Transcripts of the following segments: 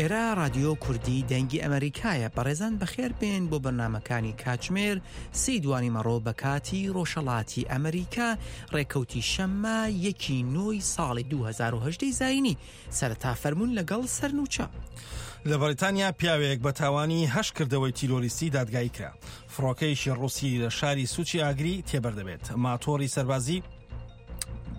ئێرە ڕادیۆ کوردی دەنگی ئەمەریکایە بەڕێزان بەخێر بێن بۆ بەرنمەکانی کاتژمێر سی دوانی مەڕۆ بە کاتی ڕۆژهەڵاتی ئەمریکا ڕێکەوتی شەممە یەکی نۆی ساڵی 2010 زینی سەرەتا فەرمونون لەگەڵ سەرنوچە. لە بەریتانیا پیاوێک بە تاوانی هەشت کردەوەی تیرۆریستی دادگایی کرا. فڕۆکەیەکی ڕووسی لە شاری سوچی ئاگری تێبەر دەبێت. ماتۆڕی سەربازی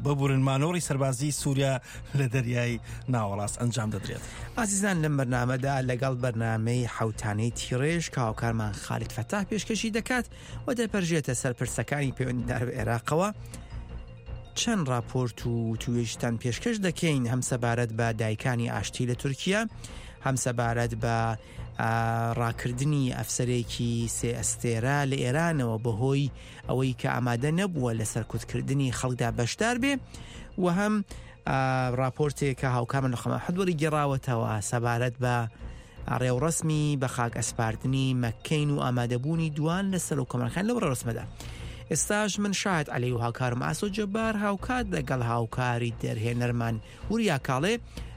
ببورن مانۆڕی سەربازی سووریا لە دەریای ناوەڕاست ئەنجام دەدرێت. ئازیزان لەم بەرنامەدا لەگەڵ بەرنامەی حەوتانەی تیڕێژ کە هاوکارمان خالید فەتاح پێشکەشی دەکات و دەپەرژێتە سەر پرسەکانی پەیوەندیدار بە عێراقەوە چەند راپۆرت و وتوێژتان پێشکەش دەکەین هەم سەبارەت بە دایکانی ئاشتی لە تورکیا هەم سەبارەت بە ڕاکردنی ئەفسەرێکی سێ ئەستێرە لە ئێرانەوە بەهۆی ئەوەی کە ئامادە نەبووە لە سەرکوتکردنی خەڵکدا بەشدار بێ و هەم راپۆرتێک کە هاوکارمان لە خەمە حدوەری گێڕاوەتەوە سەبارەت بە ڕێوڕەسمی بە خاک ئەسپاردنی مەککەین و ئامادەبوونی دوان لە سەرۆک کۆمارەکان لەو ڕێوڕەسمەدا. ئێستاش من شاهد عەلی و هاوکارم ئاسۆ جەبار هاوکات لەگەڵ هاوکاری دەرهێنەرمان وریا کاڵێ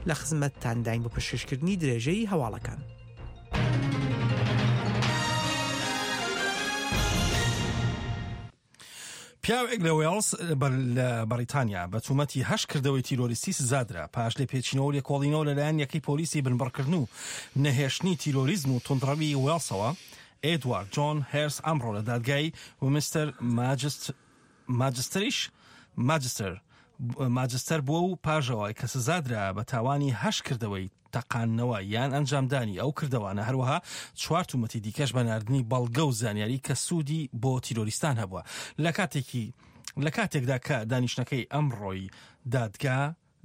لە خزمەتتانداین بۆ پێشکەشکردنی درێژەی هەواڵەکان. پیاوێک لە وێڵز لە بەڕیتانیا بە تومەتی هەشت کردەوەی تیرۆریستی سزادرا پاش لێپێچینەوە و لێکۆڵینەوە لەلایەن یەکەی پۆلیسی بنبڕکردن و نەهێشتنی تیرۆریزم و توندڕەوی وێڵسەوە ئێدوارد جۆن هێرس ئەمڕۆ لە دادگای ومستەر ماجستریش ماجستەر ماجستەر بووە و پاژەوە کە سزادرا بە تاوانی هەشت کردەوەی تەقاندنەوە یان ئەنجامدانی ئەو کردەوانە، هەروەها چوار تومەتی دیکەش بە ناردنی بەڵگە و زانیاری کە سوودی بۆ تیرۆریستان هەبووە لە کاتێکی لە کاتێکدا کە دانیشتنەکەی ئەمڕۆی دادگا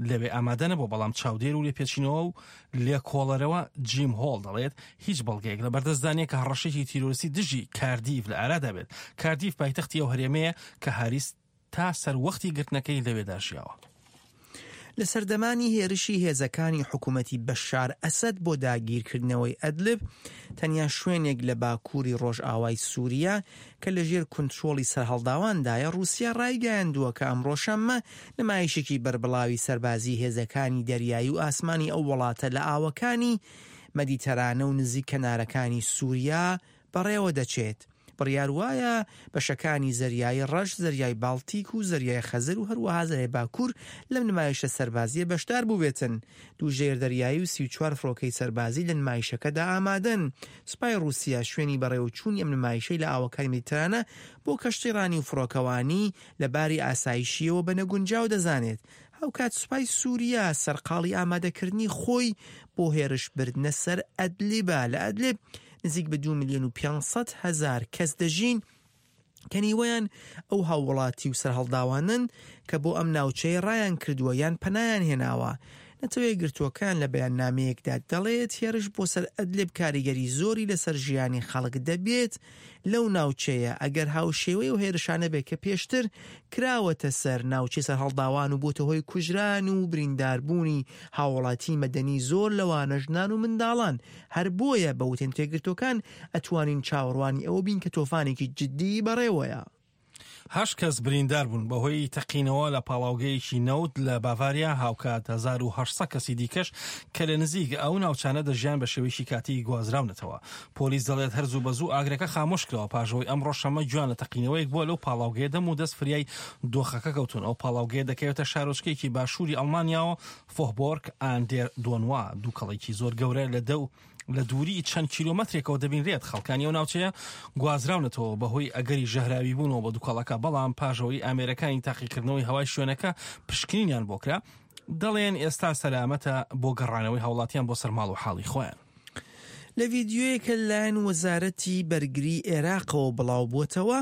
لەوێ ئامادە نەبووە، بەڵام چاودێر و لێپێچینەوە و لێکۆڵەرەوە جیم هۆڵ دەڵێت هیچ بەڵگەیەک لە بەردەستدا نییە کە هەڕەشەیەکی تیرۆریستی دژی کاردیف لە ئارادا بێت. کاردیف پایتەختی ئەو هەرێمەیە کە هاریس تا سەروەختی گرتنەکەی لەوێدا ژیاوە. لە سەردەمانی هێرشی هێزەکانی حکوومەتی بەشار ئەسەد بۆ داگیرکردنەوەی ئەدلب، تەنیا شوێنێک لە باکووری ڕۆژئاوای سووریا کە لەژێر کونترۆڵی سەرهەڵداواندایە، ڕووسیا ڕایگەیاندووە کە ئەمڕۆ شەممە نمایشێکی بەربڵاوی سەربازیی هێزەکانی دەریایی و ئاسمانی ئەو وڵاتە لە ئاوەکانی مەدیتەرانە و نزیک کەنارەکانی سووریا بەڕێوەدەچێت. بڕیار وایە بەشەکانی زەریای ڕەش، زەریای باڵتیک و زەریای خەزەر و هەروەها زەریای باکوور لەم نمایشە سەربازییە بەشدار بووبێتن. دوو ژێردەریایی و 34 فڕۆکەی سەربازی لە نمایشەکەدا ئامادەن. سوپای ڕووسیا شوێنی بەڕێوەچوونی ئەم نمایشەی لە ئاوەکانی مەدیترانە بۆ کەشتیڕانی و فڕۆکەوانی لە باری ئاسایشییەوە بە نەگونجاو دەزانێت. هاوکات سوپای سووریا سەرقاڵی ئامادەکردنی خۆی بۆ هێرشبردنە سەر ئەدلیبە. لە ئەدلیب نزیک بە 2 ملیۆن و 500 هەزار کەس دەژین کە نیوەیان ئەو هاووڵاتی و سەرهەڵداوانەن کە بۆ ئەم ناوچەیە ڕایان کردووە یان پەنایان هێناوە. نەتەوە یەکگرتووەکان لە بەیاننامەیەکدا دەڵێت هێرش بۆ سەر ئەدلب کاریگەری زۆری لەسەر ژیانی خەڵک دەبێت لەو ناوچەیە ئەگەر هاوشێوەی ئەو هێرشانە بێت کە پێشتر کراوەتە سەر ناوچەی سەرهەڵداوان و بۆتە هۆی کوژران و برینداربوونی هاوڵاتی مەدەنی زۆر لەوانە ژنان و منداڵان هەر بۆیە بە وتەی نەتەوەیەکگرتووەکان ئەتوانین چاوەڕوانی ئەوە بین کە تۆفانێکی جددی بەڕێوەیە. هەشت کەس بریندار بوون بەهۆی تەقینەوە لە پاڵاوگەیەکی نەوت لە باڤاریا، هاوکات 1800 کەسی دیکەش کە لە نزیک ئەو ناوچانە دەژیان بە شێوەیەکی کاتی گوازراونەتەوە. پۆلیس دەڵێت هەر زوو بە زوو ئاگرەکە خامۆش کراوە پاش ئەوەی ئەمڕۆ شەممە گوێیان لە تەقینەوەیەک بووە لەو پاڵاوگەیە دەم و دەست فریای دۆخەکە کەوتوون. ئەو پاڵاوگەیە دەکەوێتە شارۆچکەیەکی باشووری ئەڵمانیاوە فۆهبۆرگ ئان دێر دۆنوا دووکەڵێکی زۆر گەورە لە دەو لە دووری چەند کیلۆمەترێکەوە دەبینرێت خەڵکانی ئەو ناوچەیە گوازراونەتەوە بەهۆی ئەگەری ژەهراوی بوونەوە بە دووکەڵەکە بەڵام پاش ئەوەی ئامێرەکانی تاقیکردنەوەی هەوای شوێنەکە پشکنینیان بۆ کرا دەڵێن ئێستا سەلامەتە بۆ گەڕانەوەی هاوڵاتیان بۆ سەر ماڵ و حاڵی خۆیان. لە ڤیدیۆیەک کە لەلایەن وەزارەتی بەرگری عێراقەوە بڵاوبووەتەوە،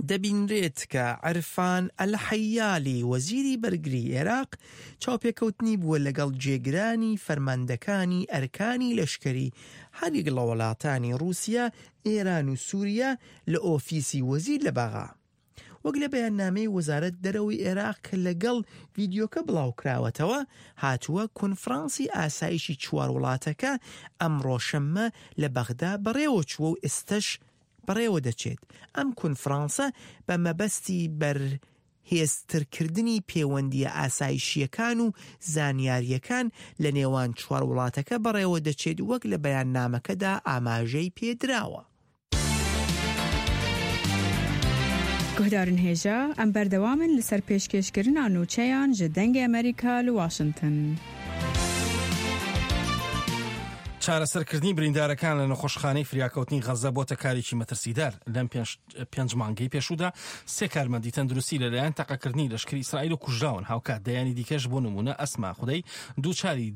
دەبینرێت کە عرفان ئەلحەیالی وەزیری بەرگری عێراق چاوپێکەوتنی بووە لەگەڵ جێگرانی فەرماندەکانی ئەرکانی لەشکری هەریەک لە وڵاتانی ڕووسیا، ئێران و سووریا لە ئۆفیسی وەزیر لە بەغا. وەک لە بەیاننامەی وەزارەت دەرەوەی عێراق کە لەگەڵ ڤیدیۆکە بڵاوکراوەتەوە هاتووە، کۆنفرانسی ئاسایشی چوار وڵاتەکە ئەمڕۆ شەممە لە بەغدا بەڕێوەچووە و ئێستەش بەڕێوەدەچێت. ئەم کونفرانسە بە مەبەستی بەر. هێزترکردنی پێوەندییە ئاسایشییەکان و زانیارییەکان لە نێوان چوار وڵاتەکە بەڕێوە دەچێت وەک لە بەیاننامەکەدا ئاماژەی پێ دراوە. Guhdarên hêja, em berdewam in li ser pêşkêşkirina nûçeyan ji Dengê Amerîka li Washington. چارەسەرکردنی بریندارەکان لە نەخۆشخانەی فریاکەوتنی غەززە بۆتە کارێکی مەترسیدار. لەم پێنج مانگەی پێشوودا سێ کارمەندی تەندروستی لەلایەن تەقەکردنی لەشکری ئیسرائیل کوژراون، هاوکات دەیانی دیکەش بۆ نموونە ئەسما خودەی دووچاری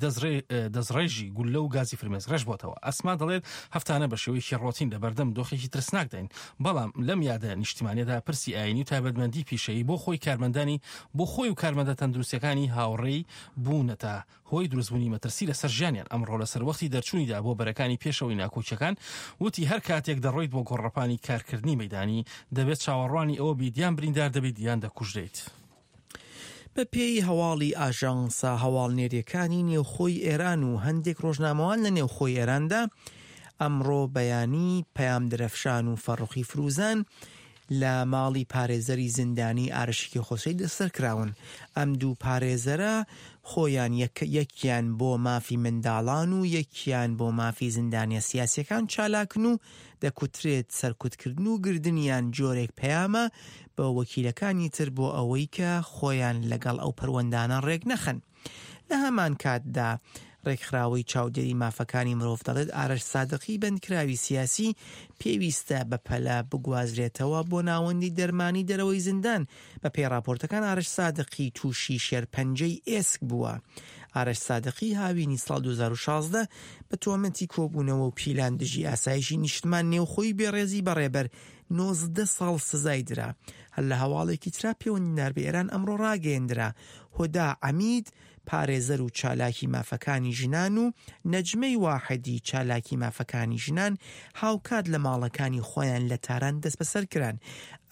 دەستڕێژی گوللە و گازی فرمێسکڕێژ بۆتەوە. ئەسما دەڵێت هەفتانە بە شێوەیەکی ڕۆتین لەبەردەم دۆخێکی ترسناکداین، بەڵام لەم یادە نیشتیمانیەدا پرسی ئایینی و تایبەتمەندی پیشەیی بۆ خۆی کارمەندانی بۆ خۆی و کارمەندە تەندروستیەکانی هاوڕێی بوونەتە هۆی دروستبوونی مەترسی لەسەر ژیانیان. ئەمڕۆ لە سەروەختی دەرچوونیدا بۆ بەرەکانی پێشەوەی ناکۆکیەکان وتی هەر کاتێک دەڕۆیت بۆ گۆڕەپانی کارکردنی مەیدانی دەبێت چاوەڕوانی ئەوە بیت یان بریندار دەبیت یان دەکوژرێیت. بە پێی هەواڵی ئاژانسە هەواڵنێریەکانی نێوخۆی ئێران و هەندێک ڕۆژنامەوان لە نێوخۆی ئێراندا، ئەمڕۆ بەیانی پەیام درەفشان و فەڕوخی فروزان لە ماڵی پارێزەری زیندانی ئارش کێخۆسەی دەستسەر کراون. ئەم دوو پارێزەرە خۆیان یەکیان بۆ مافی منداڵان و یەکیان بۆ مافی زیندانیە سیاسیەکان چالاکن و دەکوترێت سەرکوتکردن و گردنیان جۆرێک پەیامە بە وەکیلەکانی تر بۆ ئەوەی کە خۆیان لەگەڵ ئەو پەروەندانە ڕێک نەخەن. لە هەمان کاتدا ڕێکخراوەی چاودێری مافەکانی مرۆڤ دەڵێت ئارەش سادقی بەندکراوی سیاسی پێویستە بەپەلە بگوازرێتەوە بۆ ناوەندی دەرمانی دەرەوەی زیندان. بەپێی ڕاپۆرتەکان ئارەش سادقی تووشی شێرپەنجەی ئێسک بووە. ئارەش سادقی هاوینی ساڵ 2016 بە تۆمەتی کۆبوونەوە و پیلان دژی ئاسایشی نیشتمان نێوخۆی بێڕێزی بە ڕێبەر 19 ساڵ سزای درا. هەر لە هەواڵێکی ترا پێوەندیدار بە ئێران ئەمڕۆ ڕاگەیەندرا هۆدا عەمید پارێزەر و چالاکی مافەکانی ژنان و نەجمەی واحدی چالاکی مافەکانی ژنان هاوکات لە ماڵەکانی خۆیان لە تاران دەستبەسەر کران.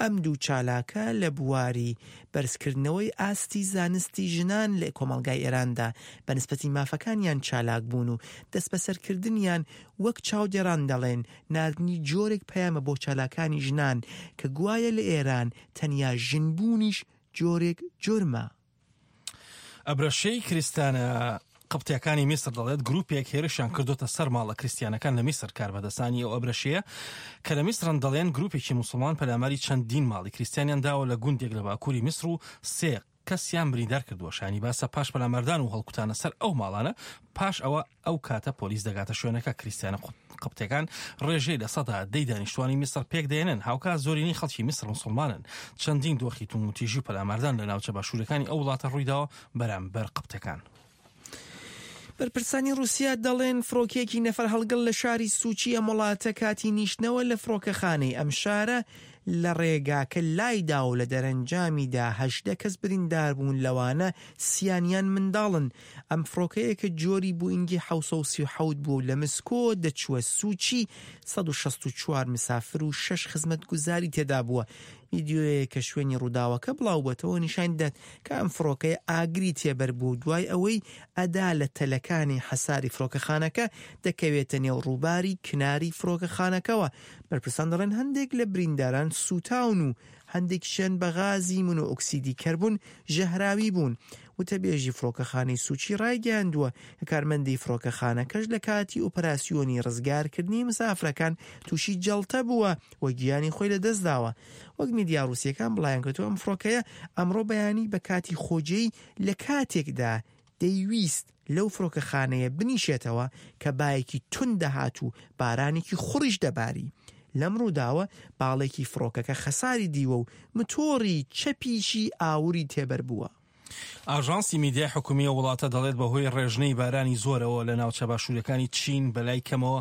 ئەم دوو چالاکە لە بواری بەرزکردنەوەی ئاستی زانستی ژنان لە کۆمەڵگای ئێراندا بە نسبەتی مافەکانیان چالاک بوون و دەستبەسەرکردنیان وەک چاودێڕان دەڵێن ناردنی جۆرێک پەیامە بۆ چالاکانی ژنان کە گوایە لە ئێران تەنیا ژنبوونیش جۆرێک جورمە. ئەبرەشەی کریستانە قبتیەکانی میسر دەڵێت گروپێک هێرشیان کردوتە سەر ماڵە کریستیانەکان لە میسر. کاربەدەستانی ئەو ئەبرەشەیە کە لە میسرن دەڵێن گروپێکی موسڵمان پەلاماری چەندین ماڵی کریستیانیان داوە لە گوندێک لە باکووری میسر و سێ کەسیان بریندار کردووە. شانی باسە پاش پەلاماردان و هەڵکوتانە سەر ئەو ماڵانە پاش ئەوە ئەو کاتە پۆلیس دەگاتە شوێنەکە. کریستیانە قبتەکان ڕێژەی 10% دانیشتوانی میسر پێک دێنن، هاوکات زۆرینەی خەڵکی میسر مسلمانن. چەندین دۆخی توندوتیژی و پەلاماردان لە ناوچە باشوورەکانی ئەو وڵاتە ڕوویداوە بەرامبەر قبتەکان. بەرپرسانی رووسیا دەڵێن فڕۆکەیەکی نەفەرهەڵگڵ لە شاری سوچی ئەم وڵاتە کاتی نیشتنەوە لە فڕۆکەخانەی ئەم شارە لە ڕێگاکە لایدا و لە دەرەنجامیدا 18 کەس بریندار بوون لەوانە سیانیان منداڵن. ئەم فڕۆکەیە کە جۆری بوئینگی 737 بووە و لە مسکۆ دەچووە سوچی 164 مسافر و شەش خزمەتگوزاری تێدا بووە. ڤیدیۆیەک کە شوێنی ڕووداوەکە بڵاوبووەتەوە نیشان دەدات کە ئەم فڕۆکەیە ئاگری تێبەربووە و دوای ئەوەی ئەدا لە تەلەکانی حەساری فڕۆکەخانەکە دەکەوێتە نێو ڕووباری کناری فڕۆکەخانەکەوە. بەرپرسان دەڵێن هەندێک لە برینداران سووتاون و هەندێکیشیان بە غازی مونۆئۆکسیدی کەربون ژەهراوی بوون. وتەبێژی فڕۆکەخانەی سوچی ڕایگەیاندووە کە کارمەندی فڕۆکەخانەکەش لە کاتی ئۆپەراسیۆنی ڕزگارکردنی مسافرەکان تووشی جەڵتە بووە و گیانی خۆی لەدەستداوە. وەک میدیا ڕووسییەکان بڵاویانکردەوە ئەم فڕۆکەیە ئەمڕۆ بەیانی بە کاتی خۆجێی لە کاتێکدا دەیویست لەو فڕۆکەخانەیە بنیشێتەوە کە بایەکی توند دەهات و بارانێکی خوڕیش دەباری. لەم ڕووداوە باڵێکی فڕۆکەکە خەساری دیوە و متۆڕی چەپیشی ئاوری تێبەربووە. ئاژانسی میدیای حکومی ئەو وڵاتە دەڵێت بەهۆی ڕێژنەی بارانی زۆرەوە لە ناوچە باشوورەکانی چین بەلای کەمەوە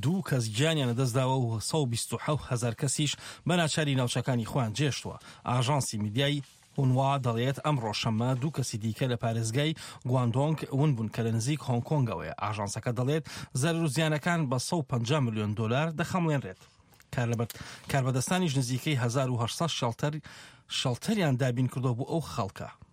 دوو کەس گیانیان لەدەستداوە و 127 هەزار کەسیش بە ناچاری ناوچەکانی خۆیان جێشتووە. ئاژانسی میدیای هونوا دەڵێت ئەمڕۆ شەممە دوو کەسی دیکە لە پارێزگای گواندۆنگ ون بوون کە لە نزیک هۆنگ کۆنگەوەیە. ئاژانسەکە دەڵێت زەرەر و زیانەکان بە 150 ملیۆن دۆلار دەخەمڵێنرێت. کاربەدەستانیش نزیکەی 1800 شەڵتەر شەڵتەریان دابین کردووە بۆ ئەو خەڵکە.